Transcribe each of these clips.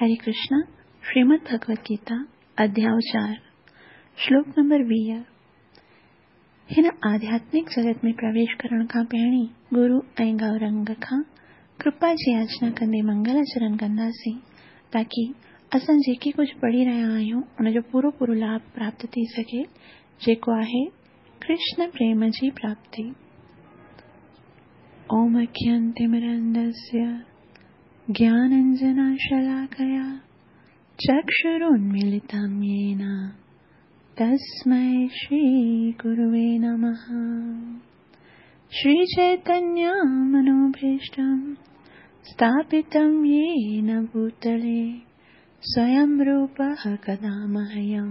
हरे कृष्णा, श्रीमद् भगवत गीता, अध्याय 4, श्लोक नंबर 20। हिन आध्यात्मिक जगत में प्रवेश करण खां पहिरीं गुरु ऐं गौरंग खां कृपा जी याचना कंदे मंगलाचरण कंदासीं, ताकी असां जेके कुझु पढ़ी रहिया आहियूं उनजो पूरो पूरो लाभ प्राप्त थी सघे, जेको आहे कृष्ण प्रेम जी प्राप्ति। ओम अज्ञानतिमिरान्धस्य ज्ञानाञ्जनशलाकया चक्षुरुन्मीलितं येन तस्मै श्रीगुरुवे नमः। श्रीचैतन्यमनोभीष्टं स्थापितं येन भूतले स्वयं रूपः कदा मह्यं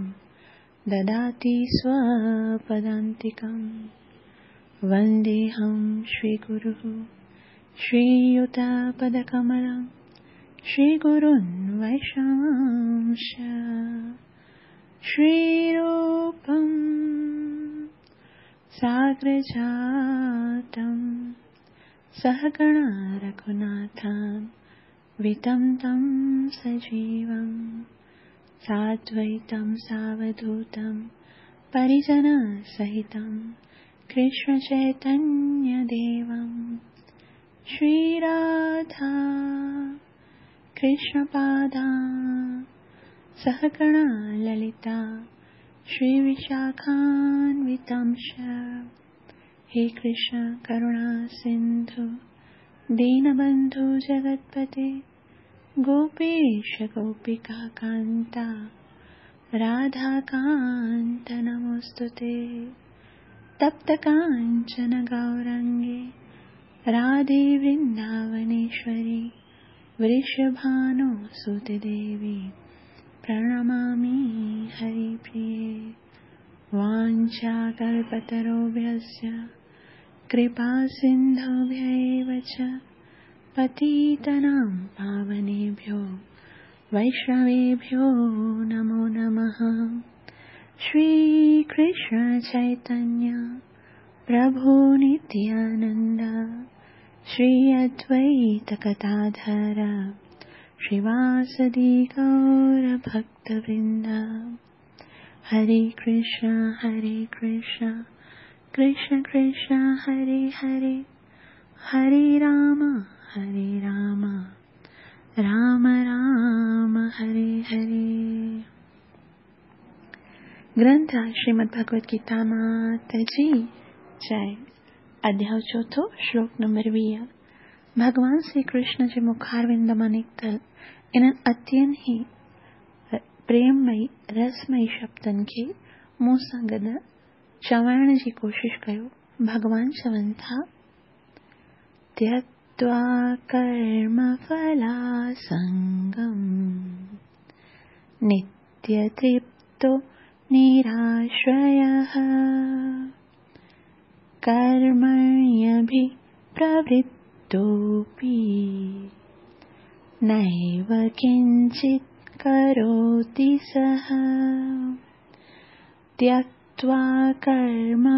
ददाति स्वपदान्तिकं। वन्देऽहं श्रीगुरुः श्रीयुतपदकमलं श्रीगुरुन् वैष्णवांश्च। श्रीरूपं साग्रजातं सहगणा रघुनाथान् वितं तं सजीवं साद्वैतं सावधूतं परिजनसहितं कृष्णचैतन्यदेवं। श्रीराधा कृष्णपादा सहगणा ललिता श्रीविशाखान्वितांश्च। हे कृष्ण करुणा सिन्धु दीनबन्धु जगत्पते गोपेश गोपिका कान्ता राधाकान्त नमोऽस्तुते। तप्त काञ्चन गौरङ्गे राधे वृन्दावनेश्वरी वृषभानुसुते देवी प्रणमामि हरिप्रिये। वाञ्छाकल्पतरुभ्यश्च कृपासिन्धुभ्य एव च पतितानां पावनेभ्यो वैष्णवेभ्यो नमो नमः। श्रीकृष्ण चैतन्य प्रभु नित्यानन्द श्री अद्वैत गदाधर श्रीवासदि गौरभक्तवृन्द। हरे कृष्ण कृष्ण कृष्ण हरे हरे, हरे राम राम राम हरे हरे। ग्रंथ श्रीमद् भगवत गीता मात जी जय। अध्याय 4, श्लोक नंबर 20। भॻवान श्री कृष्ण जे मुखारविंद मां निकितल इन्हनि अत्यंत ई प्रेममयी रसमयी शब्दनि खे मूं सां गॾु चवण जी कोशिश कयो। भॻवान चवनि था, त्यक्त्वा कर्मफलासङ्गं नित्यतृप्तो निराश्रयः कर्मण्यभिप्रवृत्तोऽपि नैव किञ्चित् करोति सः। त्यक्त्वा कर्मफलासङ्गं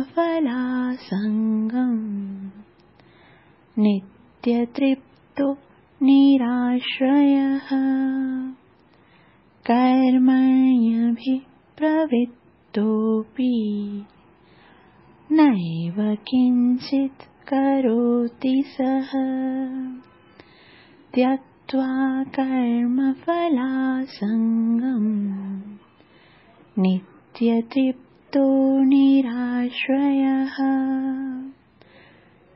नित्यतृप्तो निराश्रयः कर्मण्यभिप्रवृत्तोऽपि नैव किञ्चित् करोति सः। त्यक्त्वा कर्मफलासङ्गं नित्यतृप्तो निराश्रयः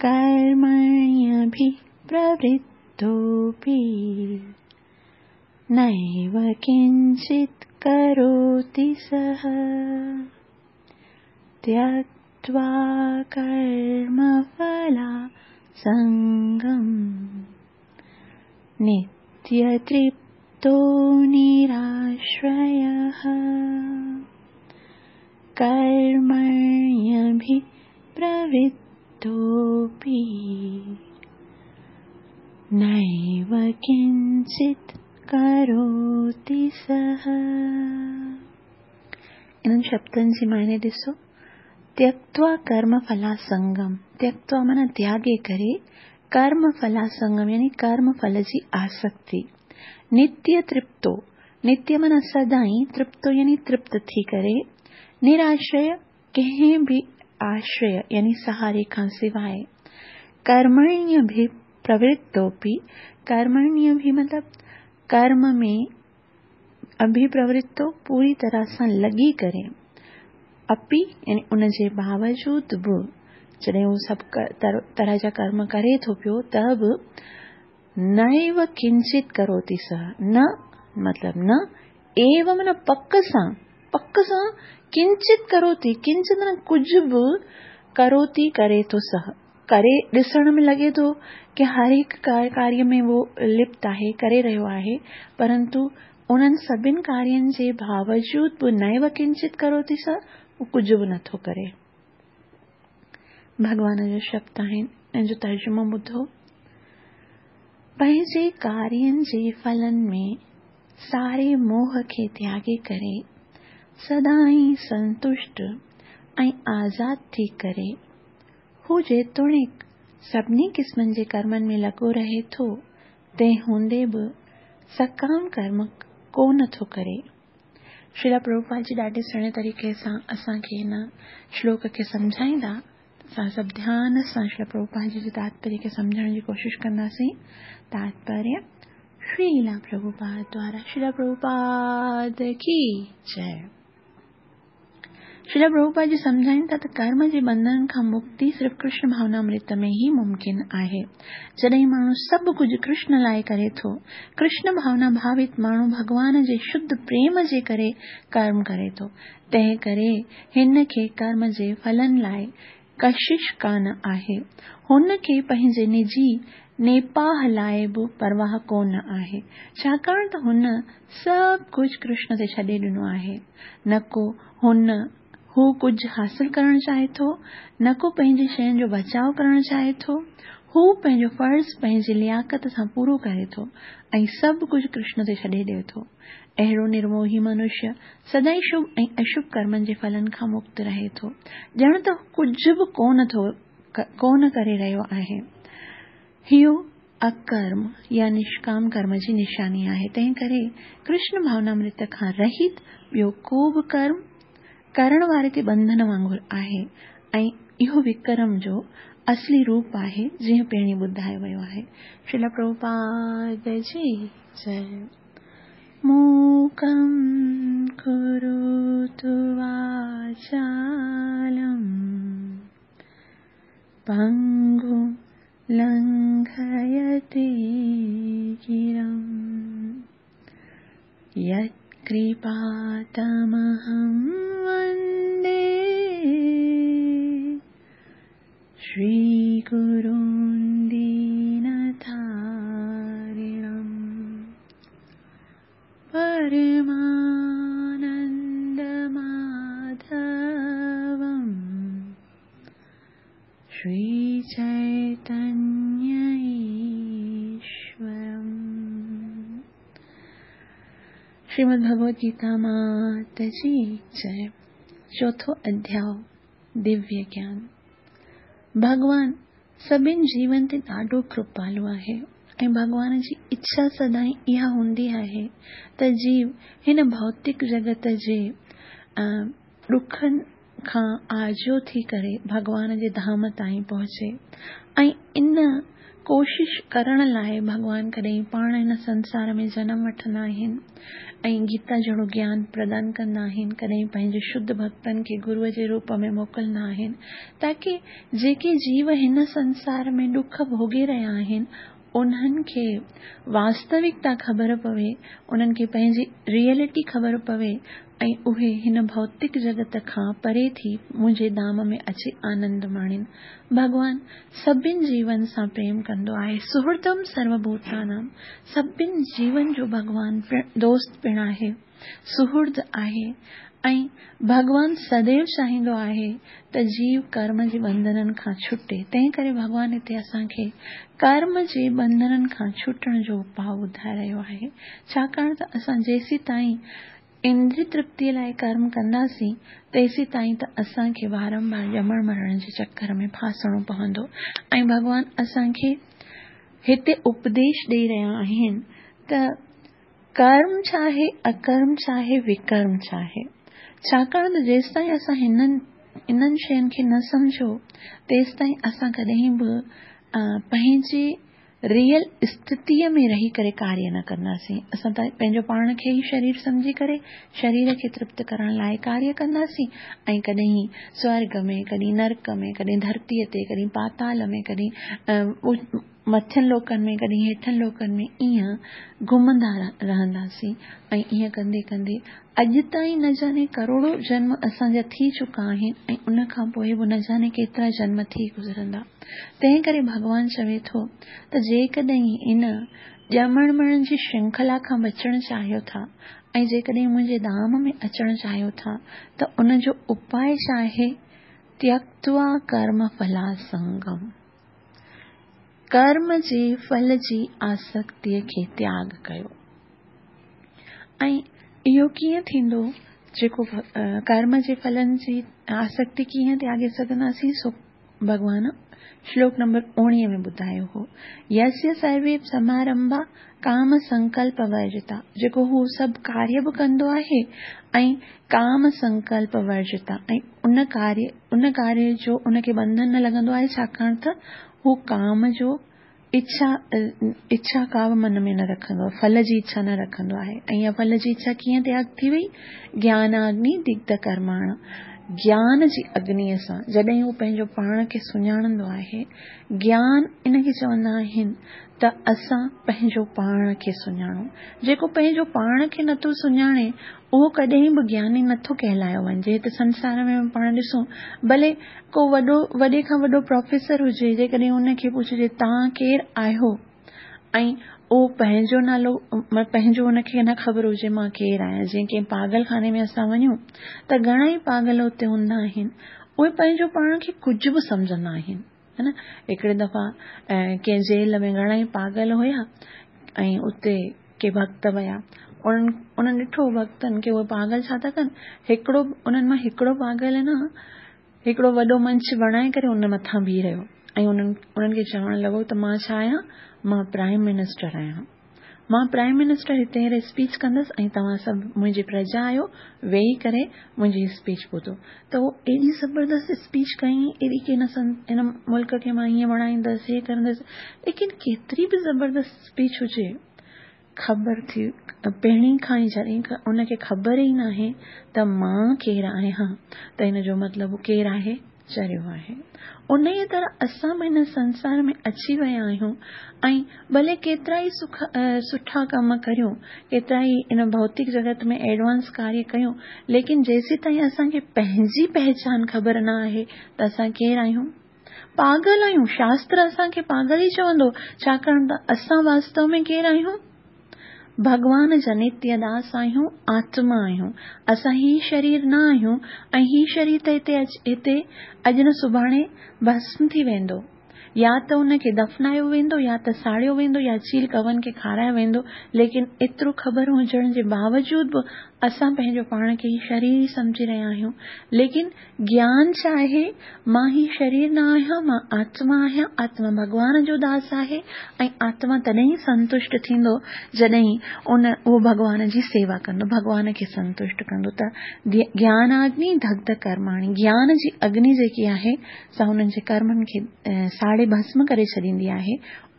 कर्मण्यभिप्रवृत्तोऽपि नैव किञ्चित् करोति सः। त्यक्त्वा कर्मफलासङ्गं नित्यतृप्तो निराश्रयः कर्मण्यभिप्रवृत्तोऽपि नैव किञ्चित् करोति सः। इन्हनि शब्दनि जी मायने ॾिसो, त्यक्त्वा कर्मफलासङ्गं। त्यक्त्वा माना त्यागे करे, कर्मफलासङ्गम यानी कर्मफल जी आसक्ति। نتيه ترپتو، نتيه معنيٰ سدائين، ترپتو يعني ترپت ٿي ڪري، نرآشريه ڪنهن به آشريه يعني سهاري کان سواء، ڪرمڻيڀي پرورتوپي، ڪرمڻيڀي مطلب ڪرم ۾ اڀي پرورتو پوري طرح سان لڳي ڪري، اپي يعني ان جي باوجود به جڏهن هو سڀ طرح جا ڪرم ڪري ٿو پيو ته به نيو ڪنچت ڪروتي سه، نه مطلب نه، ايو معنيٰ پڪ سان، پڪ سان ڪنچت ڪروتي، ڪنچت معنيٰ ڪجهه به ڪروتي ڪري ٿو سه، ڪري ڏسڻ ۾ لڳي ٿو ڪي هر هڪ ڪاريه ۾ اهو لپت آهي، ڪري رهيو آهي، پرنتو انهن سڀن ڪارين جي باوجود به نيو ڪنچت ڪروتي سه، اهو ڪجهه به نٿو ڪري. ڀڳوان جو شبد آهن ان جو ترجمو ٻڌو. پنهنجي ڪارين جي ڦلن ۾ ساري موهه کي تياڳي ڪري سدائين سنتشٽ ۽ آزاد ٿي ڪري هو جيتوڻيڪ سڀني قسمن جي ڪرمن ۾ لڳو رهي ٿو تنهن هوندي به سڪام ڪرم ڪو نه ٿو ڪري. شريلا پرڀوپاد جي ڏاڍي سهڻي طريقي سان اسان کي هن شلوڪ کي سمجهائيندا. اسان سڀ ڌيان سان شريلا پرڀوپاد جي تاتپريه کي سمجهڻ جي ڪوشش ڪنداسين. تاتپريه شريلا پرڀوپاد دوارا شريلا پرڀوپاد ڪي جئي. شريلا پرڀوپاد جي سمجهائين ٿا ته ڪرم جي ٻنڌنن کان مڪتي صرف ڪرشن ڀاونامرت ۾ ئي ممڪن آهي. جڏهن ماڻهو سڀ ڪجهه ڪرشن لاء ڪري ٿو، ڪرشن ڀاونا ڀاوت ماڻهو ڀڳوان جي شڌ پريم جي ڪري ڪرم ڪري ٿو، تنهن ڪري هن کي ڪرم جي ڦلن لاء ڪشش ڪانه آهي. هن کي پنهنجي نجي نيپاهه لاء به پرواهه ڪونه آهي، ڇاڪاڻ ته هن سڀ ڪجهه ڪرشن تي ڇڏي ڏنو آهي. نه ڪو هن هو ڪجهه حاصل ڪرڻ چاهي ٿو، نه ڪو پنهنجي شين جو بچاء ڪرڻ چاهي ٿو. هو پنهنجو فرض پنهنجي لياقت سان پورو ڪري ٿو ۽ سڀ ڪجهه ڪرشن تي ڇڏي ڏئي ٿو. اهڙو نرموهي منشيه سدائين شڀ ۽ اشڀ ڪرمن جي ڦلن کان مڪت رهي ٿو، ڄڻ ته هو ڪجهه به ڪونه ٿو ڪونه ڪري رهيو آهي. اهو اڪرم يا نشڪام ڪرم جي نشاني آهي، تنهن ڪري ڪرشن ڀاونامرت کان رهت ٻيو ڪو به ڪرم ڪرڻ واري تي ٻنڌن وانگر آهي ۽ اهو وڪرم جو اصلي روپ آهي، جيئن پهرين ٻڌايو ويو آهي. شريلا پرڀوپاد جي جئي. موڪم ڪروتو واچالم پنگم لنگهيتي گرم يتڪرپا تمهم وندي شري گرون دينتارڻم پرمانند ماڌوم شري چيتنيه ايشورم. شريمد ڀڳوت گيتا مات جي جئي. چوٿون اڌياء دويه گيان. ڀڳوان سڀن جيون تي ڏاڍو ڪرپالو آهي ۽ ڀڳوان جي اڇا سدائين اها هوندي آهي ته جيو هن ڀوتڪ جڳت جي ڏکن کان آجو ٿي ڪري ڀڳوان جي ڌام تائين پهچي ۽ ان ڪوشش ڪرڻ لاء ڀڳوان ڪڏهن پاڻ هن سنسار ۾ جنم وٺندا آهن ۽ گيتا جهڙو گيان پردان ڪندا آهن، ڪڏهن پنهنجي شڌ ڀڳتن کي گروء جي روپ ۾ موڪلندا آهن، تاڪه جيڪي جيو هن سنسار ۾ ڏک ڀوڳي رهيا آهن، انهن کي واستوڪتا خبر پوي، انهن کي پنهنجي ريئلٽي خبر پوي ۽ اهي هن ڀوتڪ جڳت کان پري ٿي منهنجي ڌام ۾ اچي آنند ماڻين. ڀڳوان سڀن جيون سان پريم ڪندو آهي. سهردم سروڀوتانام سڀن جيون جو ڀڳوان دوست پڻ آهي، سهرد آهي ۽ ڀڳوان سديو چاهيندو آهي ته جيو ڪرم جي ٻنڌنن کان ڇٽي، تنهن ڪري ڀڳوان هتي اسان کي ڪرم جي ٻنڌنن کان ڇٽڻ جو اپاء ٻڌائي رهيو آهي، ڇاڪاڻ ته اسان جيسيتائين اندري ترپتيء لاء ڪرم ڪنداسين، تيسيتائين ته اسان کي وارنوار ڄمڻ مرڻ جي چڪر ۾ ڦاسڻو پوندو ۽ ڀڳوان اسان کي هتي اپديش ڏئي رهيا آهن ته. ڪرم ڇا آهي، اڪرم ڇا آهي، وڪرم ڇا آهي. ڇاڪاڻ ته جيستائين اسان هنن انهن شين کي نه سمجهيو تيستائين اسان ڪڏهن به پنهنجي ريئل اسٿتيء ۾ رهي ڪري ڪاريه نه ڪنداسين. اسان ته پنهنجو پاڻ کي ئي شرير سمجهي ڪري شرير کي ترپت ڪرڻ لاء ڪاريه ڪنداسين ۽ ڪڏهن سورڳ ۾، ڪڏهن نرڪ ۾، ڪڏهن ڌرتيء تي، ڪڏهن پاتال ۾، ڪڏهن مٿين لوڪن ۾، ڪڏهن هيٺن لوڪن ۾ ائين گهمندا رهنداسين ۽ ائين ڪندي ڪندي اڄ تائين نه جاني ڪروڙو جنم اسان جا ٿي چڪا آهن ۽ ان کان پوء به نه جاني ڪيترا جنم ٿي گذرندا. تنهن ڪري ڀڳوان چوي ٿو ته جيڪڏهن ان ڄمڻ مرڻ جي شرنکلا کان بچڻ چاهيو ٿا ۽ جيڪڏهن منهنجي ڌام ۾ اچڻ چاهيو ٿا ته ان جو اپاء ڇا آهي؟ تيڪتوا ڪرم ڦلاسنگم. ڪرم جي ڦل جي آسڪتيء کي تياڳ ڪيو. ۽ اهو ڪيئن ٿيندو؟ جيڪو ڪرم جي ڦلن جي آسڪتي ڪيئن تياڳي سگهنداسين سو ڀڳوان شلوڪ نمبر 19 ۾ ٻڌايو هو. يسيا سروي سمارمڀا ڪام سنڪلپ ورجتا جيڪو هو سڀ ڪاريه به ڪندو آهي ۽ ڪام سنڪلپ ورجتا ۽ ان ڪاريه ان ڪاريه جو ان کي ٻنڌن نه لڳندو آهي ڇاڪاڻ ته هو ڪام جو اڇا اڇا ڪا به من ۾ نه رکندو آهي ڦل جي اڇا نه رکندو آهي ۽ اها ڦل جي اڇا ڪيئن تياڳ ٿي وئي گياناگني دگڌ ڪرماڻ گيان جي اگنيء سان جڏهن هو پنهنجو پاڻ کي سڃاڻندو آهي گيان ان کي چوندا آهن ته اسان پنهنجو پاڻ کي سڃاڻون. جيڪو پنهنجو پاڻ کي نٿو سڃاڻي، اهو ڪڏهن به گياني نٿو ڪهلايو وڃجي. هت سنسار ۾ پاڻ ڏسون، ڀلي ڪو وڏو، وڏي کان وڏو پروفيسر هجي، جيڪڏهن ان کي پڇجي توهان ڪير آهيو؟ ۽ اهو پنهنجو نالو، پنهنجو ان کي نه خبر هجي مان ڪير آهيان. جيئن ڪنهن پاڳل خاني ۾ اسان وڃون ته گهڻا ئي پاڳل اتي هوندا آهن، اهي پنهنجو پاڻ کي ڪجهه به سمجهندا آهن. ها نه هڪڙي دفعا ڪنهن جيل ۾ گهڻا ئي پاڳل هيا ۽ اتي ڪي ڀڳت ويا انهن انهن ڏٺو ڀڳتن کي اهي پاڳل ڇا ٿا ڪن هڪڙو انهن مان هڪڙو پاڳل نه هڪڙو وڏو منچ بڻائي ڪري ان مٿان بيهي رهيو ۽ انهن انهن کي چوڻ لڳو ته مان ڇا آهيان مان پرائم منسٽر آهيان مان پرائم منسٽر هتي هينئر اسپيچ ڪندس ۽ توهان سڀ منهنجي پرجا آهيو ويهي ڪري منهنجي اسپيچ ٻڌو ته هو ايڏي زبردست اسپيچ ڪئي ايڏي ڪي هن هن ملڪ کي مان هيئن بڻائيندس هي ڪرندس ليڪن ڪيتري به زبردست اسپيچ هجي خبر ٿي پهرين کان ئي جڏهن ان کي خبر ئي ناهي ته مان ڪير آهيان ته هن جو مطلب ڪير آهي چريو آهي. انهيء طرح اسان به هن سنسار ۾ اچي ويا آهيون ۽ ڀلي ڪيترائي سک سٺا ڪم ڪريون، ڪيترائي ان ڀوتڪ جڳت ۾ ايڊوانس ڪاريه ڪيون، ليڪن جيسيتائين اسان کي پنهنجي پهچان خبر نه آهي ته اسان ڪير آهيون؟ پاڳل آهيون، شاستر اسان کي پاڳل ئي چوندو، ڇاڪاڻ ته اسان واستو ۾ ڪير آهيون؟ ڀڳوان جا نتيه داس آهيون، آتما آهيون. اسان هي شرير نه آهيون ۽ هي شرير ته هتي هتي اڄ نه سڀاڻي ڀسم ٿي ويندو. يا ته ان کي دفنايو ويندو يا ته ساڙيو ويندو يا چيل ڪوئن کي کارايو ويندو ليڪن ايترو خبر هجڻ جي باوجود به اسان پنهنجو پاڻ کي هي شرير ئي سمجهي رهيا آهيون ليڪن گيان ڇا آهي؟ مان هي شرير نه آهيان، مان آتما آهيان، آتما ڀڳوان جو داس آهي ۽ آتما تڏهن ئي سنتشٽ ٿيندو جڏهن ان اهو ڀڳوان جي سيوا ڪندو، ڀڳوان کي سنتشٽ ڪندو ته گياناگني دگڌ ڪرماڻي، گيان جي اگني جيڪي آهي سا انهن جي ڪرمن کي ساڙي ڀسم ڪري ڇڏيندي آهي،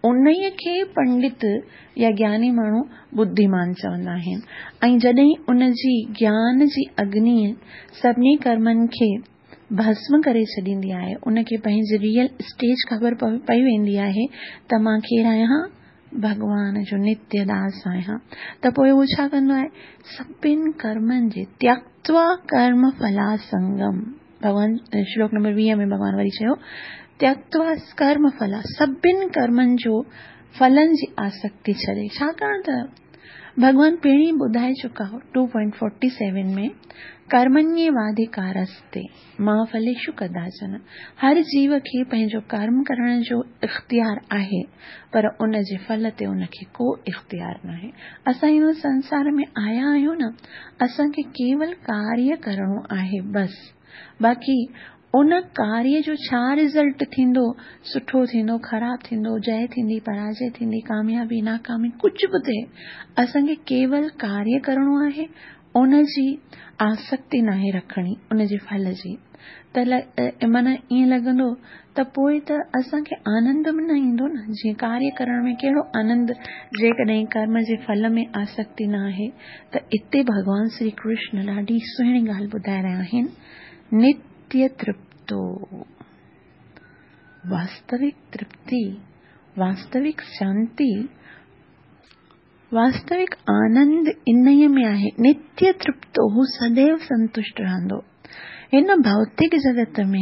انهيء کي پنڊت يا گياني ماڻهو ٻڌيمان چوندا آهن ۽ جڏهن ان جي گيان جي اگني سڀني ڪرمن کي ڀسم ڪري ڇڏيندي آهي، ان کي پنهنجي ريئل اسٽيج خبر پئي ويندي آهي ته مان ڪير آهيان؟ ڀڳوان جو نتيه داس آهيان ته پوء هو ڇا ڪندو آهي؟ سڀن ڪرمن جي تيڪتوا ڪرم ڦلاسنگم ڀڳوان شلوڪ نمبر 20 ۾ ڀڳوان وري چيو تيڪتوا ڪرم ڦلا سڀن ڪرمن جو ڦلن جي آسڪتي ڇڏي ڇاڪاڻ ته ڀڳوان پهرين ٻڌائي چڪا هو 2.47 ۾ ڪرمني واديڪارستي ما ڦليشو ڪداچن هر جيو کي پنهنجو ڪرم ڪرڻ جو اختيار آهي پر ان جي ڦل تي ان کي ڪو اختيار ناهي اسان هن سنسار ۾ آيا آهيون نه اسان کي ڪيول ڪاريه ڪرڻو آهي بس باقي ان ڪاريه جو ڇا رزلٽ ٿيندو، سٺو ٿيندو، خراب ٿيندو، جئه ٿيندي، پراجئه ٿيندي، ڪاميابي، ناڪامي، ڪجهه به ٿئي، اسان کي ڪيول ڪاريه ڪرڻو آهي، ان جي آسڪتي ناهي رکڻي، ان جي ڦل جي. ته معنيٰ ائين لڳندو ته پوء ته اسان کي آنند به نه ايندو نه، جيئن ڪاريه ڪرڻ ۾ ڪهڙو آنند جيڪڏهن ڪرم جي ڦل ۾ آسڪتي نه آهي ته اتي ڀڳوان شري ڪرشن ڏاڍي سهڻي ڳالهه ٻڌائي رهيا آهن، نتيه ترپتو، واستوڪ ترپتي، واستوڪ شانتي، واستوڪ آنند انهيء ۾ آهي، نتيه ترپتو، هو سديو سنتشٽ رهندو. هن ڀوتڪ جڳت ۾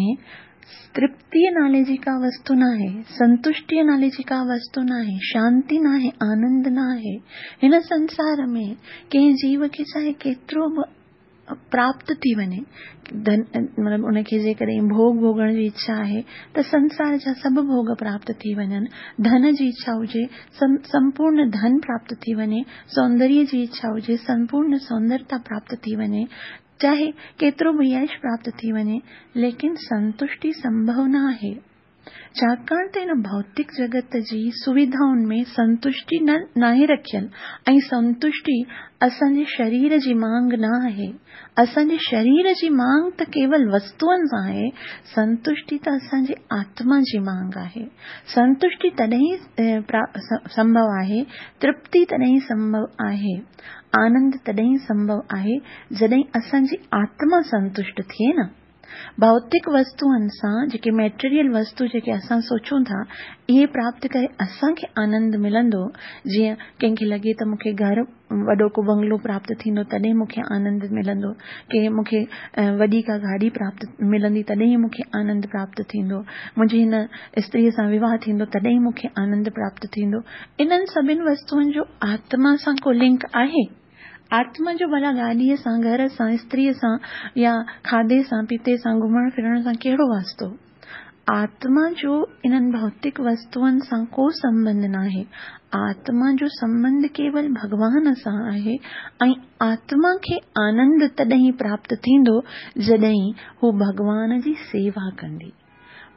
ترپتيء نالي جي ڪا وستو ناهي، سنتشٽيء نالي جي ڪا وستو ناهي، شانتي ناهي، آنند ناهي. هن سنسار ۾ ڪنهن جيو کي چاهي ڪيترو به پراپت ٿي وڃي، ڌن مطلب ان کي جيڪڏهن ڀوڳ ڀوڳڻ جي اڇا آهي ته سنسار جا سڀ ڀوڳ پراپت ٿي وڃن، ڌن جي اڇا هجي سمپورن ڌن پراپت ٿي وڃي، سوندريه جي اڇا هجي سمپورن سوندرتا پراپت ٿي وڃي، چاهي ڪيترو به يش پراپت ٿي وڃي، ليڪن سنتشٽي سنڀو نه آهي. ڇاڪاڻ ته هن ڀوتڪ جڳت جي سويڌائن ۾ سنتشٽي نه ناهي رکيل ۽ سنتشٽي اسان جي شرير جي مانگ نه آهي. اسان جي شرير جي مانگ ته ڪيول وستوئن سان آهي، سنتشٽي ته اسان جي آتما جي مانگ آهي. سنتشٽي تڏهن سنڀو آهي، ترپتي تڏهن سنڀو آهي، آنند تڏهن سنڀو آهي جڏهن اسان جي آتما سنتشٽ ٿئي نه. ڀوتڪ وستوئن سان جيڪي ميٽريل وستو جيڪي اسان سوچون ٿا اهي پراپت ڪري اسان کي آنند ملندو جيئن ڪنهن کي لڳي ته مون کي گهر وڏو ڪو بنگلو پراپت ٿيندو تڏهن مون کي آنند ملندو ڪي مون کي وڏي ڪا گاڏي پراپت ملندي تڏهن مون کي آنند پراپت ٿيندو منهنجي هن استري سان وواهه ٿيندو تڏهن مون کي آنند پراپت ٿيندو انهن سڀن وستوئن جو آتما سان ڪو لنڪ آهي؟ آتما جو ڀلا گاڏيء سان، گهر سان، استريء سان يا کاڌي سان، پيتي سان، گهمڻ ڦرڻ سان ڪهڙو واسطو؟ آتما جو انهن ڀوتڪ وستوئن سان ڪو سنٻنڌ ناهي. آتما جو سنٻنڌ ڪيول ڀڳوان سان آهي ۽ آتما کي آنند تڏهن پراپت ٿيندو جڏهن هو ڀڳوان جي سيوا ڪندي.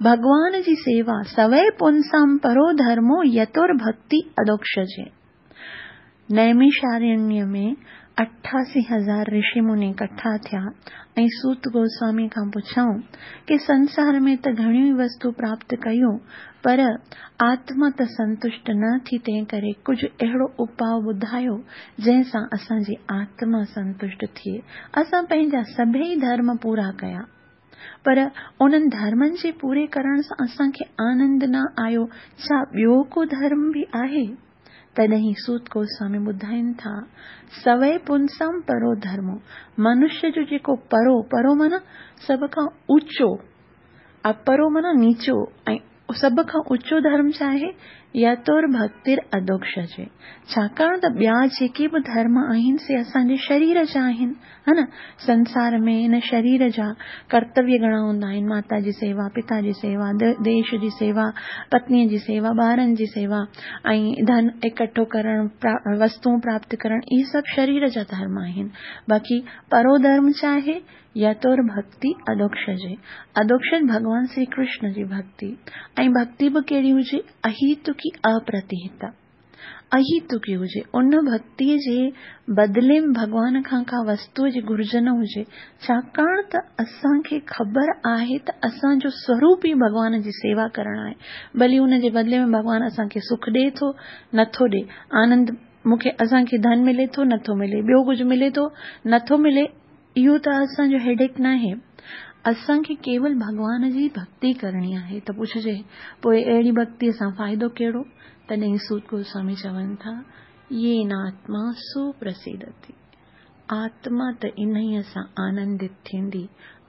ڀڳوان جي سيوا سوئي پونسام پرو ڌرمو يتور ڀڳتي ادوڪشجي. نيميشارڻيه ۾ 88 هزار رشي مني ڪٺا ٿيا ۽ سوت گوسوامي کان پڇيائون ڪي سنسار ۾ ته گهڻيون ئي وستو پراپت ڪيون پر آتما ته سنتشٽ نه ٿي تنهنڪري ڪجهه اهڙو اپاء ٻڌايو جنهن سان اسان جي آتما سنتشٽ ٿئي. اسان پنهنجا سڀئي ڌرم پورا ڪيا. پر انهن ڌرمن جي پوري ڪرڻ سان اسان کي آنند نه آيو، ڇا ٻيو ڪو ڌرم به آهي؟ تڏهن سوت گوسوامي ٻڌائين ٿا، سوئي پونسام پرو ڌرمو، منشيه جو جيڪو پرو، پرو معنيٰ سڀ کان اوچو، اپرو معنيٰ نيچو ۽ سڀ کان اوچو ڌرم ڇا آهي؟ يتور ڀڳتير اڌوڪشجي. ڇاڪاڻ ته ٻيا جيڪي به ڌرم آهن سي اسان جي شرير جا آهن، ها نه؟ سنسار ۾ هن شرير جا ڪرتويه گهڻا هوندا آهن، ماتا جي سيوا، پتا جي سيوا، ديش جي سيوا، پتنيء جي سيوا، ٻارن جي سيوا ۽ ڌن اڪٺو ڪرڻ، وستون پراپت ڪرڻ، اهي سڀ شرير جا ڌرم آهن. باقي پرو ڌرم ڇا آهي؟ يتور ڀڳتي اڌوڪشجي. اڌوڪشج ڀڳوان شري ڪرشن جي ڀڳتي ۽ ڀڳتي به ڪهڙي هجي؟ اهيتڪي اپرتيهتا. اهيتڪي هجي. ان ڀڳتيء جي بدلي ۾ ڀڳوان کان ڪا وستوء جي گهرج نه هجي. ڇاڪاڻ ته اسان کي خبر آهي ته اسان جو سوروپ ئي ڀڳوان جي سيوا ڪرڻ آهي. ڀلي ان جي بدلي ۾ ڀڳوان اسان کي سک ڏئي ٿو، نه ٿو ڏئي. آنند مون کي اسان کي ڌن ملي ٿو، نه ٿو ملي. ٻيو ڪجهه ملي ٿو، نه ٿو ملي. اهو ته اسان جو هيڊيڪ ناهي. اسان کي ڪيول ڀڳوان جي ڀڳتي ڪرڻي آهي ته پڇجي پوء اهڙي ڀڳتيء سان فائدو ڪهڙو؟ تڏهن سوت گوسوامي چون ٿا، يين آتما سو پرسيدتي. آتما ته انهيء سان آنندت ٿيندي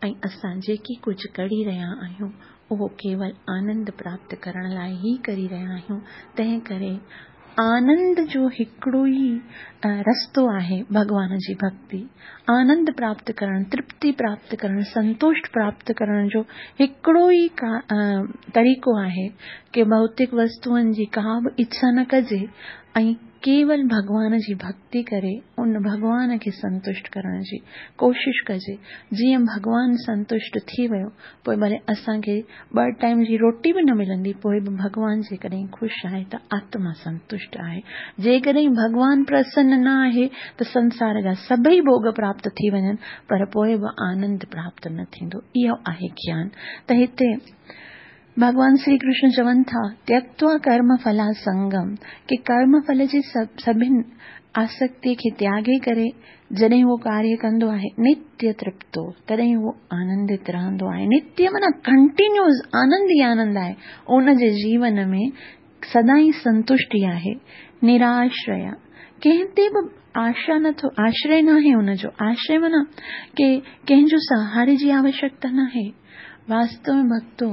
۽ اسان جيڪي ڪجهه ڪري رهيا آهيون، اهو ڪيول آنند پراپت ڪرڻ لاء ئي ڪري رهيا آهيون، تنهن ڪري آنند جو هڪڙو ئي رستو آهي ڀڳوان جي ڀڳتي. آنند پراپت ڪرڻ، ترپتي پراپت ڪرڻ، سنتوشٽ پراپت ڪرڻ جو هڪڙو ئي طريقو آهي ڪي ڀوتڪ وستوئن جي ڪا به اڇا نه ڪجي ۽ ڪيول ڀڳوان جي ڀڳتي ڪري ان ڀڳوان کي سنتشٽ ڪرڻ جي ڪوشش ڪجي. جيئن ڀڳوان سنتشٽ ٿي ويو، پوء ڀلي اسان کي ٻه ٽائيم جي روٽي به نه ملندي، پوء به ڀڳوان جيڪڏهن خوش آهي ته آتما سنتشٽ آهي. جيڪڏهن ڀڳوان پرسن نه آهي ته سنسار جا سڀئي ڀوڳ پراپت ٿي وڃن، پر پوء به آنند پراپت نه ٿيندو. اهو آهي گيان. ته هتي ڀڳوان شري ڪرشن چون ٿا، تيڪتوا ڪرم ڦلا سنگم، ڪي ڪرم ڦل جي سڀن آسڪتي کي تياڳي ڪري جڏهن اهو ڪاريه ڪندو آهي، نتيه ترپتو، تڏهن اهو آنندت رهندو آهي. نتيه معنيٰ ڪنٽينيوز آنند ئي آنند آهي. ان جي جيون ۾ سدائين سنتشٽي آهي، نراشريا، ڪنهن تي به آشا نٿو، آشري ناهي ان جو، آشري معنيٰ ڪي ڪنهن جو سهاري جي آوشڪتا ناهي. واستو ۾ ڀڳتو،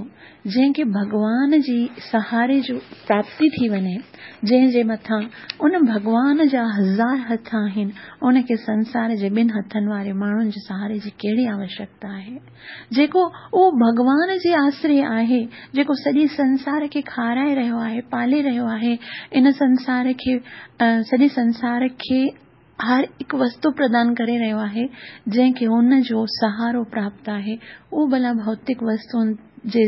جنهن کي ڀڳوان جي سهاري جو پراپتي ٿي وڃي، جنهن جي مٿان ان ڀڳوان جا هزار هٿ آهن، ان کي سنسار جي ٻن هٿن واري ماڻهن جي سهاري جي ڪهڙي آوشڪتا آهي؟ جيڪو اهو ڀڳوان جي آسري آهي، جيڪو سڄي سنسار کي کارائي رهيو آهي، پالي رهيو آهي، ان سنسار کي سڄي سنسار کي هر هڪ وستو پردان ڪري رهيو آهي، جنهن کي هن جو سهارو پراپت آهي، اهو ڀلا ڀوتڪ وستوئن جي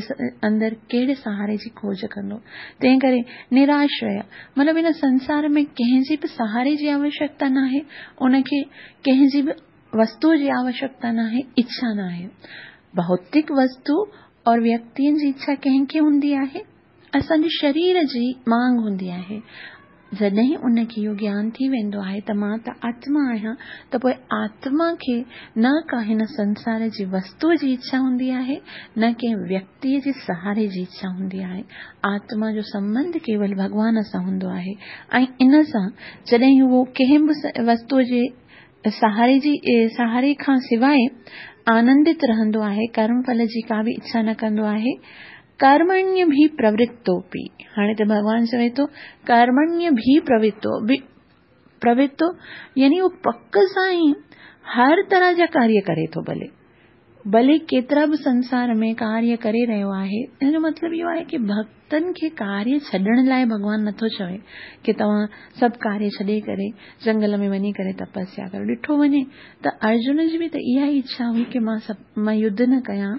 اندر ڪهڙي سهاري جي کوج ڪندو؟ تنهن ڪري نراشريه مطلب هن سنسار ۾ ڪنهن جي به سهاري جي آوشڪتا ناهي، ان کي ڪنهن جي به وستوء جي آوشڪتا ناهي، اڇا ناهي. ڀوتڪ وستو اور ويڪتين جي اڇا ڪنهن کي هوندي آهي؟ اسان جي شرير جي مانگ هوندي آهي. جڏهن ان کي اهو گيان ٿي ويندو آهي ته مان ته آتما آهيان ته پوء آتما کي نه ڪا هن سنسار جي وستوء جي اڇا هوندي آهي نه ڪنهن ويڪتيء جي سهاري جي اڇا هوندي آهي. آتما جو سنٻنڌ ڪيول ڀڳوان سان هوندو آهي ۽ ان سان جڏهن اهو ڪنهن به وستوء جي سهاري جي سهاري کان سواء آنندت رهندو آهي، ڪرم ڦل جي ڪا به اڇا نه ڪندو آهي. ڪرمڻيه ڀي پرورتوپي، هاڻي ته ڀڳوان چوي ٿو ڪرمڻيه ڀي پرورتو پرورتو يعني هو پڪ سان ئي هر طرح جا ڪاريه ڪري ٿو ڀلي ڀلي ڪيترا به سنسار ۾ ڪاريه ڪري رهيو آهي. ان جو مطلب اهو آهي ڪي ڀڳتن کي ڪاريه ڇڏڻ لاء ڀڳوان نٿو چوي ڪي توهان سڀ ڪاريه ڇڏي ڪري جنگل ۾ وڃي ڪري تپسيا ڪريو. ڏٺو وڃي ته ارجن جي به ته اها ئي اڇا هئي ڪي مان سڀ مان يڌ نه ڪيان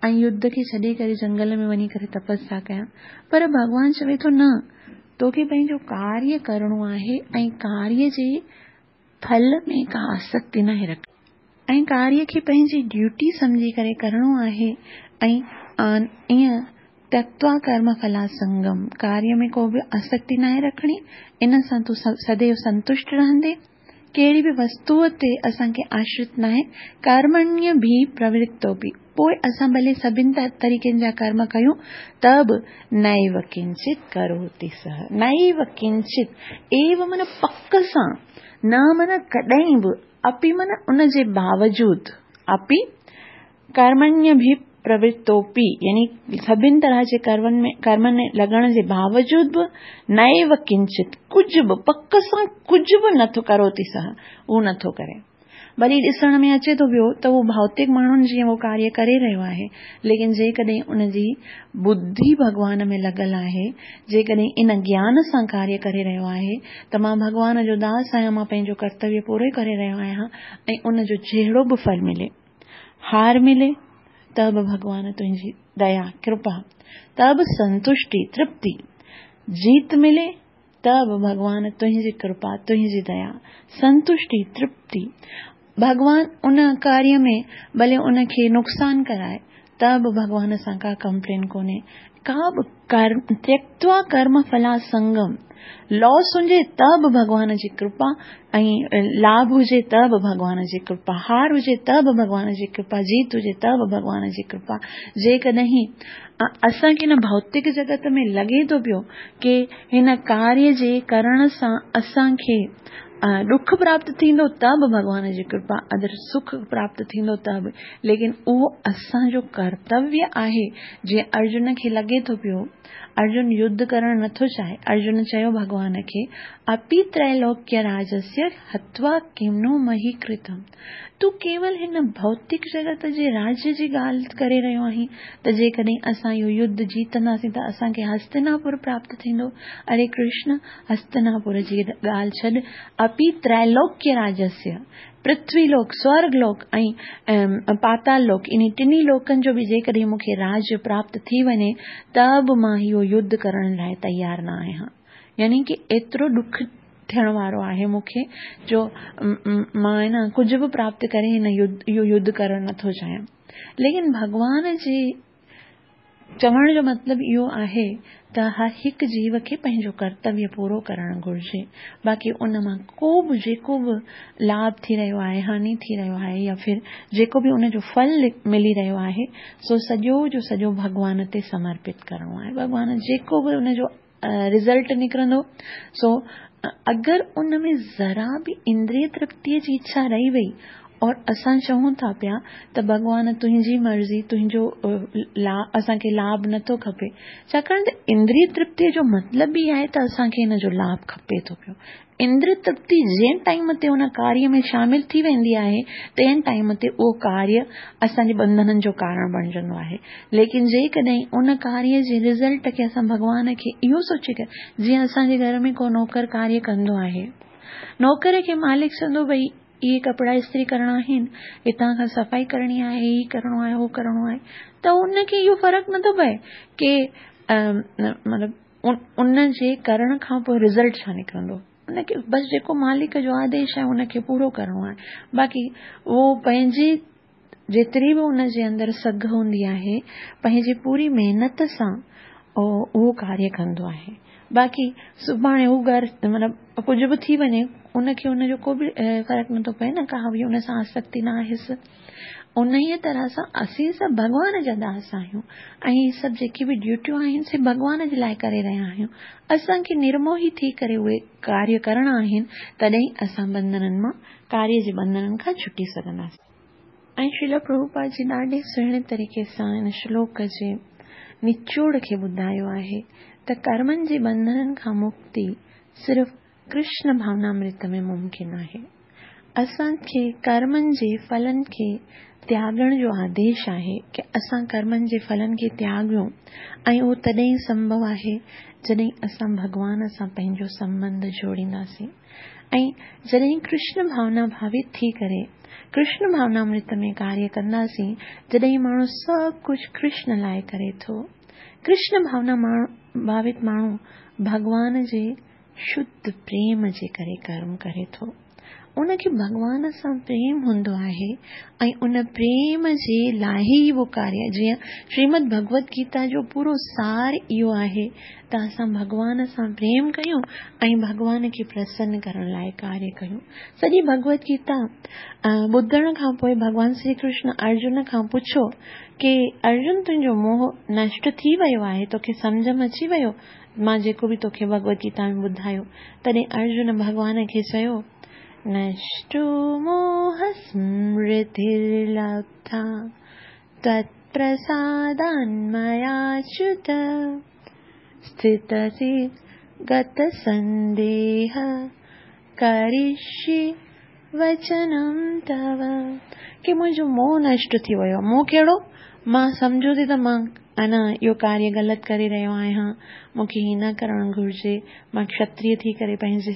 ۽ يڌ کي ڇڏي ڪري جنگل ۾ وڃي ڪري تپسيا ڪيان، پر ڀڳوان چوي ٿو نه، توکي پنهنجو ڪاريه ڪرڻو آهي ۽ ڪاريه جي ڦل ۾ ڪا آسڪتي ناهي رکڻي ۽ ڪاريه کي پنهنجي ڊيوٽي سمجهي ڪري ڪرڻو آهي ۽ ائين تيڪتوا ڪرم ڦلاسنگم، ڪاريه ۾ ڪو به آسڪتي ناهي رکڻي، ان سان تون سديو سنتشٽ رهندين. ڪهڙي به وستوء تي اسان کي آشرت ناهي، ڪرمڻيه ڀي پرورتوپي، پوء اسان ڀلي سڀن طريقن جا ڪرم ڪيون ته به نيو ڪنچت ڪروتي سه، نيو ڪنچت، ايو معنيٰ پڪ سان، نه معنيٰ ڪڏهن به، اپي معنيٰ ان جي باوجود، اپي ڪرمڻيه ڀي پرورتوپي يعني سڀن طرح جي ڪرمن ۾ ڪرمن ۾ لڳڻ جي باوجود به نيو ڪنچت ڪجهه به پڪ سان ڪجهه به نٿو ڪروتي سه اهو نٿو ڪري. ڀلي ڏسڻ ۾ اچي ٿو پيو ته اهو ڀوتڪ ماڻهن جيئن اهو ڪاريه ڪري رهيو آهي ليڪن جيڪڏهن ان جي ٻڌي ڀڳوان ۾ لڳل آهي جيڪڏهن ان گيان سان ڪاريه ڪري رهيو آهي ته مان ڀڳوان جو داس آهيان مان پنهنجو ڪرتويه پورو ڪري رهيو آهيان ۽ ان جو جهڙو به ڦل ملي هار ملي ته به ڀڳوان تنهنجي ديا، ڪرپا، ته به سنتشٽي، ترپتي، جيت ملي ته به ڀڳوان تنهنجي ڪرپا، تنهنجي ديا، سنتشٽي، ترپتي. ڀڳوان ان ڪاريه ۾ ڀلي ان کي نقصان ڪرائي ته به ڀڳوان سان ڪا ڪمپلين ڪونهي. ڪا به ڪرم تيڪتوا ڪرم ڦلا سنگم لاس هجي ته به ڀڳوان جي ڪرپا ۽ لاڀ هجي ته به ڀڳوان جي ڪرپا، هار هجي ته به ڀڳوان جي ڪرپا، جيت هجي ته به ڀڳوان جي ڪرپا. جيڪڏهن اسان کي هن ڀوتڪ جڳت ۾ لڳي ٿو پيو ڪي هن ڪاريه جي ڪرڻ سان اسان کي ڏک پراپت ٿيندو ته به ڀڳوان جي ڪرپا، اگر سک پراپت ٿيندو ته به، ليڪن اهو اسان جو ڪرتويه آهي. جيئن ارجن کي لڳي ٿو پيو، ارجن يڌ ڪرڻ نٿو چاهي، ارجن چيو ڀڳوان کي، اپي تريلوڪيه راجسيه هتوا ڪم نو مهي ڪرتم، تون ڪيول هن ڀوتڪ جڳت جي راجيه جي ڳالهه ڪري رهيو آهين ته جيڪڏهن اسان اهو يڌ جيتنداسين ته اسان کي هستناپور پراپت ٿيندو. اري ڪرشن! هستناپور جي ڳالهه ڇڏ، اپي تريلوڪيه راجسيه، پرٿوي لوڪ، سورڳ لوڪ ۽ پاتال لوڪ، انهي ٽنهي لوڪن جو به جيڪڏهن مون کي راڄ پراپت ٿي وڃي ته به مان اهو يڌ ڪرڻ لاء تيار نه آهيان. يعني ڪه ايترو ڏک ٿيڻ وارو آهي مون کي جو مان نه ڪجهه به پراپت ڪري هن اهو يڌ ڪرڻ نٿو چاهيان. ليڪن ڀڳوان جي چوڻ جو مطلب اهو آهي ته هر هڪ جيو کي پنهنجو ڪرتويه پورو ڪرڻ گهرجي، باقي ان مان ڪو به جيڪو به لاڀ ٿي رهيو آهي، هاني ٿي رهيو آهي يا ڦر جيڪو به ان جو ڦل ملي رهيو آهي، سو سڄو جو سڄو ڀڳوان تي سمرپت ڪرڻو آهي. ڀڳوان جيڪو به ان جو رزلٽ نڪرندو سو اگر ان ۾ ذرا به اندريه ترپتيء جي اڇا رهي وئي اور اسان چئون ٿا پيا ته ڀڳوان تنهنجي مرضي تنهنجو لا اسان کي لاڀ نٿو کپي ڇاڪاڻ ته اندريه ترپتيء جو مطلب ئي آهي ته اسان کي ان جو لاڀ کپي ٿو پيو اندريه ترپتي جنهن ٽائيم تي ان ڪاريه ۾ شامل ٿي ويندي آهي، تنهن ٽائيم تي اهو ڪاريه اسان جي ٻنڌنن جو ڪارڻ بڻجندو آهي. ليڪن جيڪڏهن ان ڪاريه جي رزلٽ کي اسان ڀڳوان کي اهو سوچي ڪري، جيئن اسان جي گهر ۾ ڪو نوڪر ڪاريه ڪندو آهي، نوڪر کي مالڪ چوندو ڀئي اهي ڪپڙا استري ڪرڻا آهن، هتان کان صفائي ڪرڻي آهي، هي ڪرڻو آهي، هو ڪرڻو آهي ته ان کي اهو فرق نٿو پئي ڪي مطلب ان جي ڪرڻ کان پوء رزلٽ ڇا نڪرندو ان کي بس جيڪو مالڪ جو آديش آهي ان کي پورو ڪرڻو آهي باقي اهو پنهنجي جيتري به ان جي اندر سگهه هوندي آهي پنهنجي پوري محنت سان اهو ڪاريه ڪندو آهي باقي سڀاڻي هو گهر مطلب ڪجهه به ٿي وڃي ان کي ان جو ڪو به فرق نٿو پئي نه ڪا به ان سان آسڪتي نه آهيس انهيء طرح سان اسين سڀ ڀڳوان جا داس آهيون ۽ هي سڀ جيڪي به ڊيوٽيون آهن سي ڀڳوان جي لاء ڪري رهيا آهيون. اسان کي نرموهي ٿي ڪري اهي ڪاريه ڪرڻا آهن تڏهن ئي اسان ٻنڌنن مان، ڪاريه جي ٻنڌنن کان ڇٽي سگهنداسين. ۽ شريلا پرڀوپاد جي ڏاڍي سهڻي طريقي سان هن شلوڪ جي نچوڙ کي ٻڌايو آهي ته ڪرمن جي ٻنڌنن کان مڪتي صرف ڪرشن ڀاونامرت ۾ ممڪن آهي. اسان کي ڪرمن جي ڦلن کي تياڳڻ جو آديش آهي ڪه اسان ڪرمن جي ڦلن کي تياڳيون ۽ اهو تڏهن ئي سنڀو آهي جڏهن اسان ڀڳوان سان پنهنجو سنٻنڌ جوڙينداسين ۽ جڏهن ڪرشن ڀاونا ڀاوت ٿي ڪري ڪرشن ڀاونامرت ۾ ڪاريه ڪنداسين جڏهن ماڻهو سڀ ڪجهه ڪرشن لاء ڪري ٿو ڪرشن ڀاونا ڀاوت ماڻهو ڀڳوان جي شڌ پريم جي ڪري ڪرم ڪري ٿو. ان کي ڀڳوان سان پريم هوندو آهي ۽ ان پريم جي لاء ئي اهو ڪاريه جيئن شريمد ڀڳوت گيتا جو پورو سار اهو آهي ته اسان ڀڳوان سان پريم ڪيون ۽ ڀڳوان کي پرسن ڪرڻ لاء ڪاريه ڪيون. سڄي ڀڳوت گيتا ٻڌڻ کان پوء ڀڳوان شري ڪرشن ارجن کان پڇيو ڪي ارجن تنهنجو موهه نشٽ ٿي ويو آهي توکي سمجهه ۾ اچي ويو مان جيڪو به توکي ڀڳوت گيتا ۾ ٻڌايو. تڏهن ارجن ڀڳوان کي چيو، نشٽو موهه سمرترلبڌا تتپرسادان مياچيوت اسٿتسي گت سنديهه ڪرشي وچنم تو. ڪي منهنجو موهه نشٽ ٿي ويو. موهه ڪهڙو؟ مان سمجهو ٿي ته مان انا اهو ڪاريه غلط ڪري رهيو آهيان، مون کي هيئن نه ڪرڻ گهرجي، مان ڪشتريه ٿي ڪري پنهنجي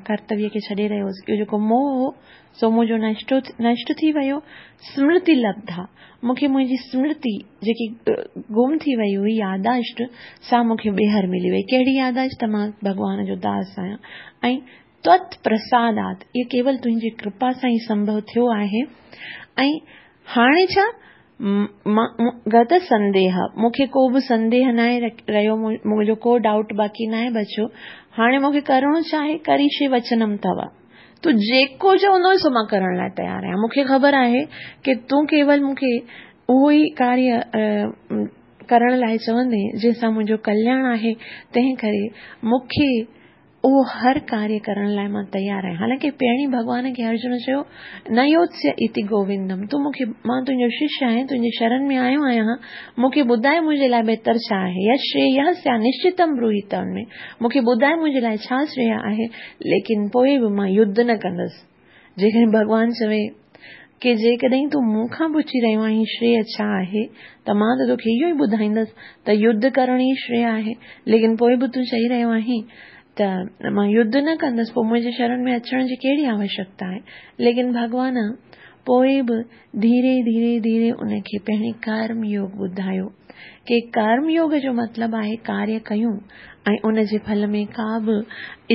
ڪرتويه کي ڇڏي رهيو هوس. اهو جيڪو موهه هو، سو منهنجو نشٽو نشٽ ٿي ويو. سمرتي لبڌا، مون کي منهنجي سمرتي جيڪي گم ٿي وئي هئي، ياداشت، سا مون کي ٻيهر ملي وئي. ڪهڙي ياداشت؟ ته مان ڀڳوان جو داس آهيان ۽ تت پرسادات، اهو ڪيول تنهنجي ڪرپا سان ئي سنڀو ٿيو آهي ۽ هاڻي ڇا؟ گت سنديهه، مون کي ڪو به سنديهه ناهي رهيو، منهنجو ڪو ڊائوٽ باقي ناهي بچيو، هاڻي مون کي ڪرڻو ڇا آهي؟ ڪريشي وچنم توا، تون جيڪو چوندو سو مان ڪرڻ لاء تيار آهيان، مون کي خبر آهي ڪي تون ڪيول مون کي اهو ئي ڪاريه ڪرڻ لاء چوندين جنهن سان منهنجو ڪلياڻ آهي، تنهن ڪري مون کي. اهو هر ڪاريه ڪرڻ لاء مان تيار آهيان. حالانڪه پهرين ڀڳوان کي ارجن چيو، نه يوتسيه ايتي گووندم، تون مون کي، مان تنهنجو ششيه آهيان، تنهنجي شرن ۾ آيو آهيان، مون کي ٻڌاء منهنجي لاء بهتر ڇا آهي، يت شرييه سيا نشچتم بروهي تن ۾، مون کي ٻڌاء منهنجي لاء ڇا شرييه آهي، ليڪن پوء به مان يڌ نه ڪندس. جيڪڏهن ڀڳوان چوي ڪي جيڪڏهن تون مون کان پڇي رهيو آهين شرييه ڇا آهي ته مان ته توکي اهو ئي ٻڌائيندس ته يڌ ڪرڻ ئي شرييه آهي ليڪن پوء به تون چئي رهيو آهين ته مان يڌ نه ڪندس پوء منهنجي شرڻ ۾ اچڻ جي ڪهڙي آوشڪتا آهي ليڪن ڀڳوان پوء به ڌيري ڌيري ڌيري ان کي پهرين ڪرم يوگ ٻڌايو ڪي ڪرم يوگ جو مطلب آهي ڪاريه ڪيون ۽ ان جي ڦل ۾ ڪا به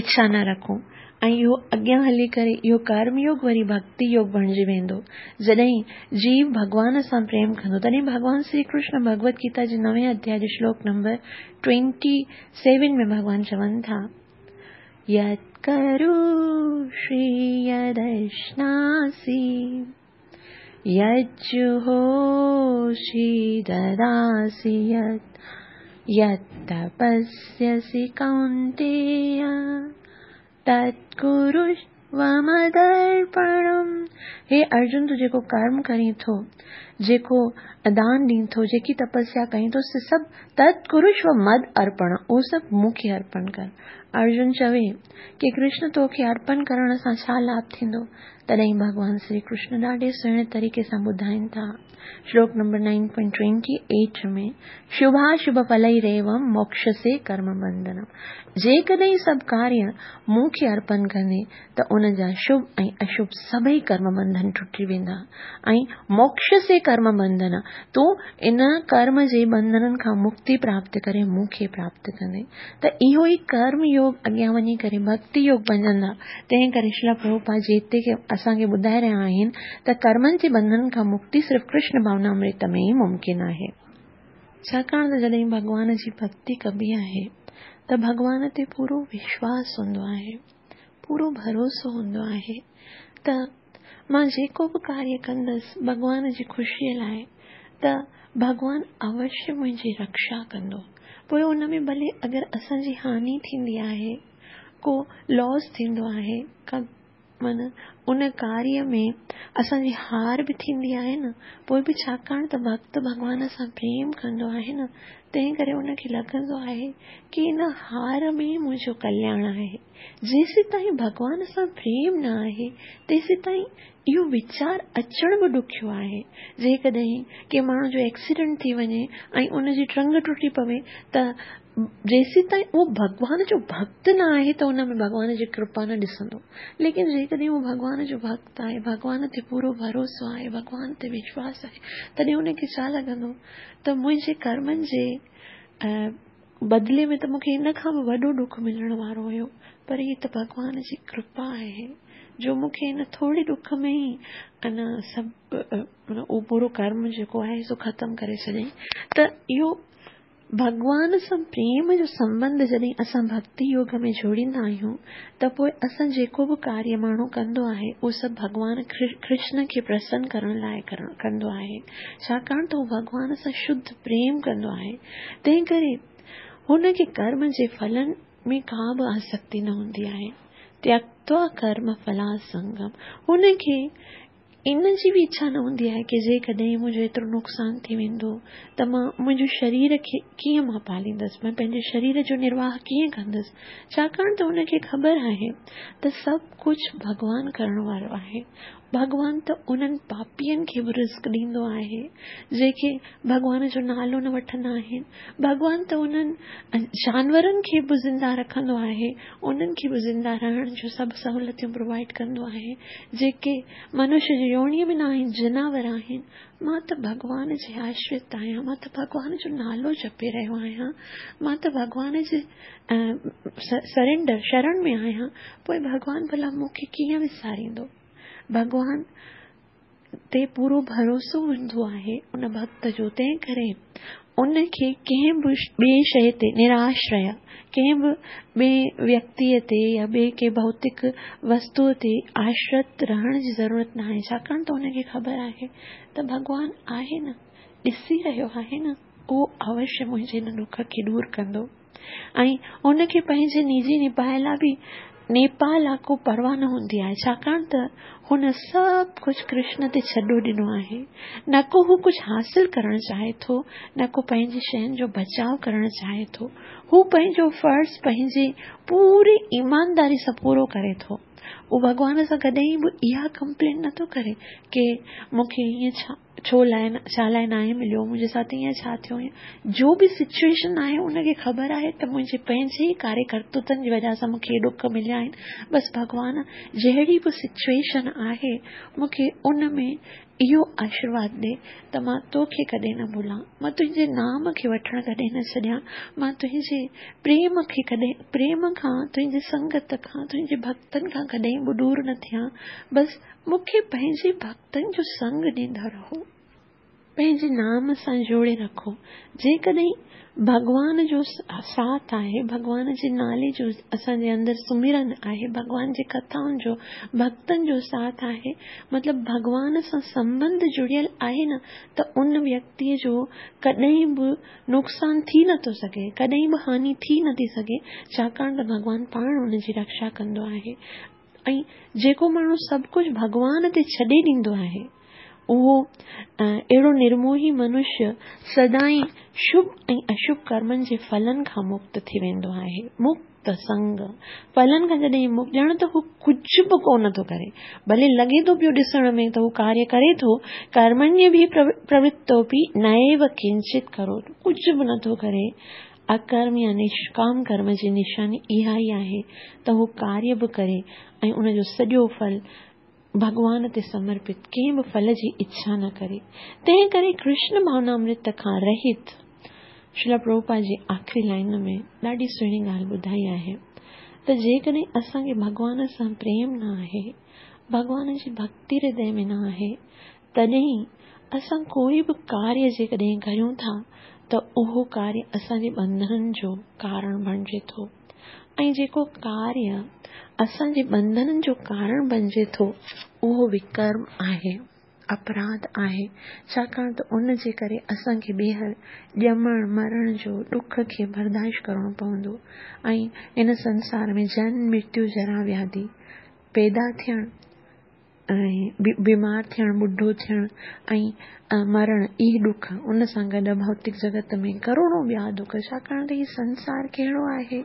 اڇا نه رکون ۽ اهو اڳيان هلي ڪري اهو ڪرم يوگ وري ڀڳتي يوگ بڻجي ويندو. جڏهن جيو ڀڳوان سان پريم ڪندو تڏهن ڀڳوان شري ڪرشن ڀڳوت گيتا جي نوين اڌياء جي شلوڪ نمبر ٽوئنٽي سيون ۾ ڀڳوان چون ٿا، يت ڪروشي يدشناسي يجهوشي دداسي يت يت تپسيسي ڪونتيه تت ڪروشو مدرپڻم. هي ارجن تون جيڪو ڪرم ڪرين ٿو، جيڪو دان ڏين ٿو، جيڪي تپسيا ڪرين ٿو سي سڀ تت ڪروشو مد ارپڻ، اهو سڀ مون کي ارپڻ ڪر. ارجن چوي ڪي ڪرشن توکي ارپڻ ڪرڻ سان ڇا لاڀ ٿيندو؟ تڏهن ڀڳوان شري ڪرشن ڏاڍي سهڻي طريقي سان ٻڌائين ٿا، شلوڪ نمبر 9.28 ۾، شڀاشڀ ڦليريوم موڪشسي ڪرم بنڌنم، جيڪڏهن سڀ ڪاريه مون کي ارپن ڪندين ته ان جا شڀ ۽ اشڀ سڀئي ڪرم بنڌن ٽٽي ويندا ۽ موڪشسي ڪرم بنڌن، تون ان ڪرم جي بنڌنن کان مڪتي پراپت ڪري مون کي پراپت ڪندين ته اهو ئي ڪرم يوگ اڳيان وڃي ڪري ڀڳتي يوگ بنجندا. تنهن ڪري شريلا پرڀوپاد جي هتي اسان کي ٻڌائي رهيا آهن ته ڪرمن جي بنڌنن کان مڪتي صرف ڪرشن ڀاونامرت ۾ ئي ممڪن آهي. ڇاڪاڻ ته جڏهن ڀڳوان جي ڀڳتي ڪبي آهي ته ڀڳوان تي پورو وشواس هوندو آهي، پورو ڀروسو هوندو آهي ته مان جيڪو به ڪاريه ڪندس ڀڳوان جي خوشيء لاء ته ڀڳوان اوشيه منهنجي رڪشا ڪندو. پوء ان ۾ ڀلي اگر اسان جي هاني ٿيندي آهي، ڪو لاس ٿيندو آهي، ڪا معنيٰ ان ڪاريه ۾ اسان جي هار به ٿيندي آهي نه، پوء به ڇاڪاڻ ته ڀڳت ڀڳوان سان پريم ڪندو آهي نه، تنهن ڪري ان کي لڳندو آهي ڪي ان هار ۾ ئي منهنجو ڪلياڻ آهي. جيسيتائين ڀڳوان سان پريم نه آهي، تيسيتائين اهو ويچار اچڻ به ڏکيو آهي. جيڪڏهن ڪنهن ماڻهو جو ايڪسيڊنٽ ٿي وڃي ۽ ان جي ٽنگ ٽٽي پوي ته جيسيتائين اهو ڀڳوان جو ڀڳت نه آهي ته ان ۾ ڀڳوان جي ڪرپا نه ڏسندو. ليڪن جيڪڏهن اهو ڀڳوان جو ڀڳت آهي، ڀڳوان تي پورو ڀروسو آهي، ڀڳوان تي وشواس آهي، تڏهن ان کي ڇا لڳندو ته منهنجي ڪرمن جي بدلي ۾ ته مون کي ان کان به وڏو ڏک ملڻ وارو هيو، پر هي ته ڀڳوان جي ڪرپا آهي جو مون کي ان ٿوري ڏک ۾ ئي ان سڀ اهو برو ڪرم جيڪو آهي سو ختم ڪري ڇڏيائين ته اهو ڀڳوان سان پريم جو سنٻنڌ جڏهن اسان ڀڳتي يوگ ۾ جوڙيندا آهيون ته پوء اسان جيڪو به ڪاريه ماڻهو ڪندو آهي اهو سڀ ڀڳوان ڪرشن کي پرسن ڪرڻ لاء ڪندو آهي ڇاڪاڻ ته هو ڀڳوان سان شڌ پريم ڪندو آهي تنهن ڪري هن کي ڪرم جي ڦلن ۾ ڪا به آسڪتي نه هوندي آهي تيڪتوا ڪرم ڦلاسنگم هن کي ان جي به اڇا نه هوندي آهي ڪي جيڪڏهن منهنجو ايترو نقصان ٿي ويندو ته مان منهنجو شرير کي ڪيئن مان پاليندس، مان پنهنجي شرير جو نرواهه ڪيئن ڪندس، ڇاڪاڻ ته هن کي خبر آهي ته سڀ ڪجهه ڀڳوان ڪرڻ وارو آهي. ڀڳوان ته انهن پاپين کي به رزق ڏيندو آهي، جيڪي ڀڳوان جو نالو نه وٺندا آهن. ڀڳوان ته انهن جانورن کي به زنده رکندو آهي، انهن کي به زنده رهڻ جون سڀ سهولتيون پرووائيڊ ڪندو آهي، جيڪي منش جي يونيء ۾ نه آهن، جناور آهن. مان ته ڀڳوان جي آشرت آهيان، مان ته ڀڳوان جو نالو جپي رهيو آهيان، مان ته ڀڳوان جي سرينڊر، شرڻ ۾ آهيان، پوء ڀڳوان ڀلا مون کي ڪيئن وساريندو؟ ڀڳوان تي پورو ڀروسو هوندو آهي ان ڀڳت جو تنهن ڪري ان کي ڪنهن به ٻئي شيء تي نراشريه ڪنهن به ٻئي ويڪتيء تي يا ٻئي ڪنهن ڀوتڪ وستوء تي آشرت رهڻ جي ضرورت ناهي ڇاڪاڻ ته ان کي خبر آهي ته ڀڳوان آهي نه ڏسي رهيو آهي نه اهو اوشيه منهنجي هن ڏک کي دور ڪندو. ۽ هن کي پنهنجي نجي نڀاء لاء به نيپا لاء ڪو پرواهه نه هوندي آهي، ڇاڪاڻ ته هن سڀ ڪجهه ڪرشن تي ڇڏو ڏنو آهي. نه ڪو هو ڪجهه حاصل ڪرڻ چاهي ٿو، نه ڪو پنهنجي شين جو بچاء ڪرڻ چاهي ٿو. هو پنهنجو فرض پنهنجي پوري ايمانداري سان پورو ڪري ٿو. هو ڀڳوان سان ڪڏهن به اها ڪمپلين نه ٿو ڪري ڪي مون کي ائين ڇا ڇو لاء ڇا لاء ناهي مليو منهنجي ساٿ ائين ڇا ٿيو جو به سچوئيشن آهي ان کي خبر آهي ته منهنجي پنهنجي ئي ڪاري ڪرتوتن جي وجه سان مون کي ڏک مليا آهن بس ڀڳوان جهڙي به سچوئيشن آهي مون کي ان ۾ اهو آشرواد ڏي ته مان توکي ڪڏهن نه ڀلان مان تنهنجي نام کي وٺڻ ڪڏهن نه ڇڏيان مان تنهنجي پريم کي ڪڏهن پريم کان تنهنجي سنگت کان تنهنجي ڀڳتن کان ڪڏهن به ڏور نه ٿيان بس مون کي پنهنجي ڀڳتن جو سنگ ڏيندا رهو. پنهنجي نام سان جوڙي رکو. جيڪڏهن ڀڳوان جو ساٿ آهي، ڀڳوان جي نالي جو اسان جي اندر سمرن آهي، ڀڳوان جي ڪٿائن جو، ڀڳتن جو ساٿ آهي، مطلب ڀڳوان سان سنٻنڌ جڙيل آهي نه ته ان ويڪتيء جو ڪڏهن به نقصان ٿي نه ٿو سگهي، ڪڏهن به هاني ٿي نه ٿي سگهي، ڇاڪاڻ ته ڀڳوان پاڻ ان جي رڪشا ڪندو آهي. ۽ جيڪو ماڻهو سڀ ڪجهه ڀڳوان تي ڇڏي ڏيندو آهي، اهو اهڙو نرموهي منشيه سدائين شڀ ۽ اشڀ ڪرمن جي ڦلن کان مڪت ٿي ويندو آهي. مڪت سنگ ڦلن کان جڏهن مڪت ڄڻ ته هو ڪجهه به ڪونه ٿو ڪري، ڀلي لڳي ٿو پيو ڏسڻ ۾ ته هو ڪاريه ڪري ٿو، ڪرمण्يڀي پروتوپي نيو ڪنچت ڪروت، ڪجهه به نٿو ڪري، اڪرم يا نشڪام ڪرم جي نشاني اها ئي آهي ته هو ڪاريه به ڪري ۽ ان جو سڄو ڦل ڀڳوان تي سمرپت ڪنهن به ڦل جي اڇا نه ڪري. تنهن ڪري ڪرشن ڀاونامرت کان رهت شريلا پرڀوپاد جي آخري لائين ۾ ڏاڍي سهڻي ڳالهه ٻڌائي آهي ته جيڪڏهن اسان کي ڀڳوان سان پريم نه آهي، ڀڳوان جي ڀڳتي هردي ۾ نه آهي تڏهن اسان ڪوئي به ڪاريه جيڪڏهن ڪريون ٿا ته اهو ڪاريه اسان جي ٻنڌنن جو ڪارڻ بڻجي ٿو ۽ جيڪو ڪاريه اسان جي ٻنڌنن جو ڪارڻ بڻجي ٿو اهو وڪرم آهي، اپراڌ آهي، ڇاڪاڻ ته ان جي ڪري اسان کي ٻيهر ڄمڻ مرڻ جو ڏک کي برداشت ڪرڻو پوندو ۽ هن سنسار ۾ جنم مرتيو جرا وياڌي پيدا ٿيڻ ۽ بيمار ٿيڻ، ٻڍو ٿيڻ ۽ مرڻ اهي ڏک، ان سان گڏ ڀوتڪ جڳت ۾ ڪروڙون ٻيا دک، ڇاڪاڻ ته هي سنسار ڪهڙو آهي؟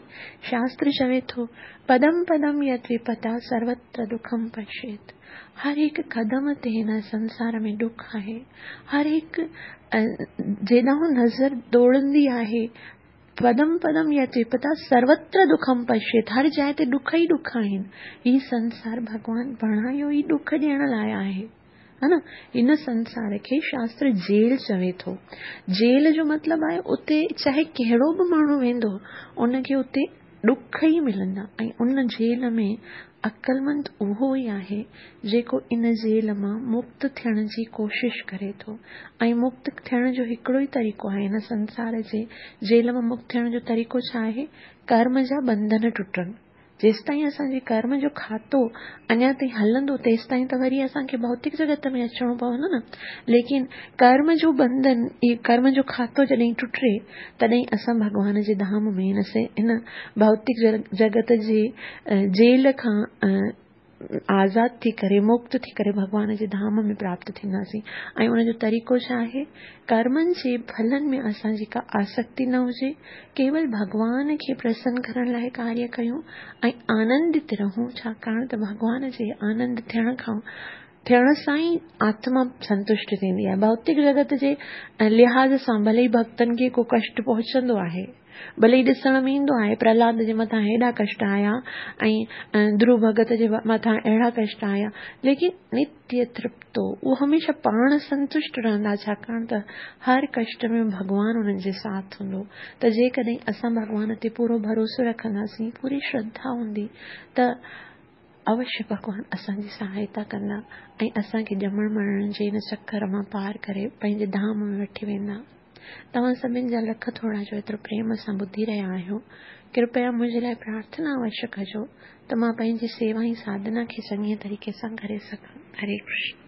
شاستر چوي ٿو، پدم پدم يت وپتا سروتر دکم پشيت. هر هڪ قدم تي هن سنسار ۾ ڏک آهي. هر هڪ جيڏانهن نظر ڊوڙندي آهي، پدم پدم يت وپتا سروتر دکم پشيت هر جاء تي ڏک ئي ڏک آهن. هي سنسار ڀڳوان بڻايو ئي ڏک ڏيڻ لاء آهي. ها نه هن سنسار کي شاستر جيل چوي ٿو. جيل جو مطلب آهي اتي چاهي ڪهڙو به ماڻهو ويندو ان کي اتي ڏک ئي ملندا ۽ ان جيل ۾ عقلمند اهو ئي آهي جيڪو ان جيل مان مڪت ٿيڻ جي ڪوشش ڪري ٿو ۽ مڪت ٿيڻ جو هڪڙو ئي طريقو آهي هن سنسار جي جيل مان مڪت ٿيڻ جو طريقو ڇا آهي ڪرم جا ٻنڌن ٽٽن جيستائين اسان جي ڪرم جو کاتو اڃا تائين هلندو تيستائين ته وري اسان کي ڀوتڪ جڳت ۾ اچڻو پوندو نه ليڪن ڪرم جو ٻنڌن ڪرم جو کاتو جڏهن ٽٽي تڏهن اسان ڀڳوان جي ڌام ۾ هن ڀوتڪ جڳت جي جيل کان آزاد ٿي ڪري مڪت ٿي ڪري ڀڳوان جي ڌام ۾ پراپت ٿينداسين ۽ ان جو طريقو ڇا آهي ڪرمن جي ڦلن ۾ اسان جي ڪا آسڪتي نه هجي ڪيول ڀڳوان کي پرسن ڪرڻ لاء ڪاريه ڪيون ۽ آنندت رهون ڇاڪاڻ ته ڀڳوان جي آنند ٿيڻ کان ٿيڻ سان ئي آتما سنتشٽ ٿيندي آهي. ڀوتڪ جڳت جي لحاظ سان ڀلي ئي ڀڳتن کي ڪو ڪشٽ پهچندو آهي، ڀلي ئي ڏسڻ ۾ ايندو آهي پرهلاد جي مٿان هيڏا ڪشٽ آيا ۽ ڌرو ڀڳت جي مٿان اهڙا ڪشٽ آيا، ليڪن نتيه ترپتو اهو هميشه پاڻ سنتشٽ رهندا ڇاڪاڻ ته هر ڪشٽ ۾ ڀڳوان انهن جي ساٿ هوندو ته جيڪڏهن اسان ڀڳوان تي پورو ڀروسو رکنداسين، پوري شرڌا هوندي ته اوشيه ڀڳوان اسان جي سهائتا ڪندا ۽ اسان کي ڄمڻ مرڻ جي هن چڪر مان پار ڪري پنهنجي ڌام ۾ وٺي ويندا. توهان سڀن جا لک ٿورا جو ايترو پريم سان ٻڌي رهيا آهيو. ڪرپيا منهنجي لاء پرارٿنا اوشيه ڪجو ته مان پنهنجي سيوا ۽ ساڌنا کي چڱي طريقي سان ڪري سگهان. هري ڪرشن.